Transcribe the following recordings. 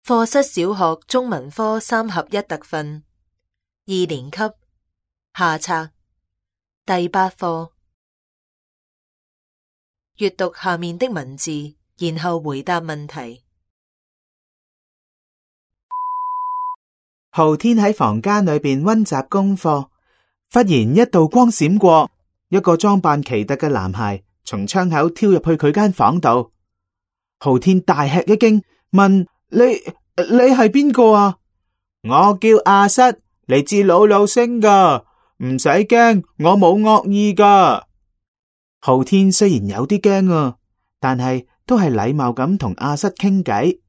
課室小學中文科3合1特訓2年級下冊第8課。閱讀下面的文字，然後回答問題。浩天喺房間裏邊溫習功課，忽然一道光閃過，一個裝扮奇特嘅男孩從窗口跳入去佢間房度。浩天大吃一驚，問：你係邊個啊？我叫阿瑟，嚟自魯魯星噶，唔使驚，我冇惡意噶。浩天雖然有啲驚啊，但係都係禮貌咁同阿瑟傾偈。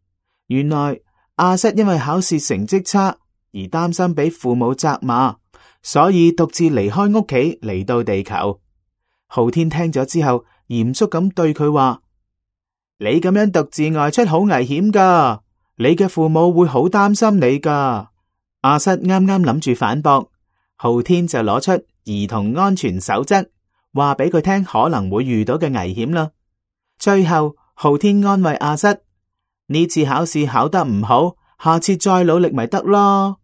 原來阿瑟因為考試成績差而擔心俾父母責罵，所以獨自離開屋企嚟到地球。浩天聽咗之後，嚴肅咁對佢話：你咁樣獨自外出好危險噶，你嘅父母會好擔心你噶。阿瑟啱啱諗住反駁，浩天就攞出兒童安全守則，話俾佢聽可能會遇到嘅危險啦。最後浩天安慰阿瑟：呢次考試考得唔好，下次再努力咪得咯。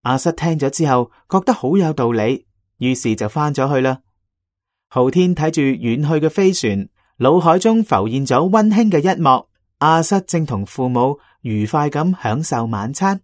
阿瑟聽咗之後覺得好有道理，於是就翻咗去啦。浩天睇住遠去嘅飛船，腦海中浮現咗溫馨嘅一幕，阿瑟正同父母愉快咁享受晚餐。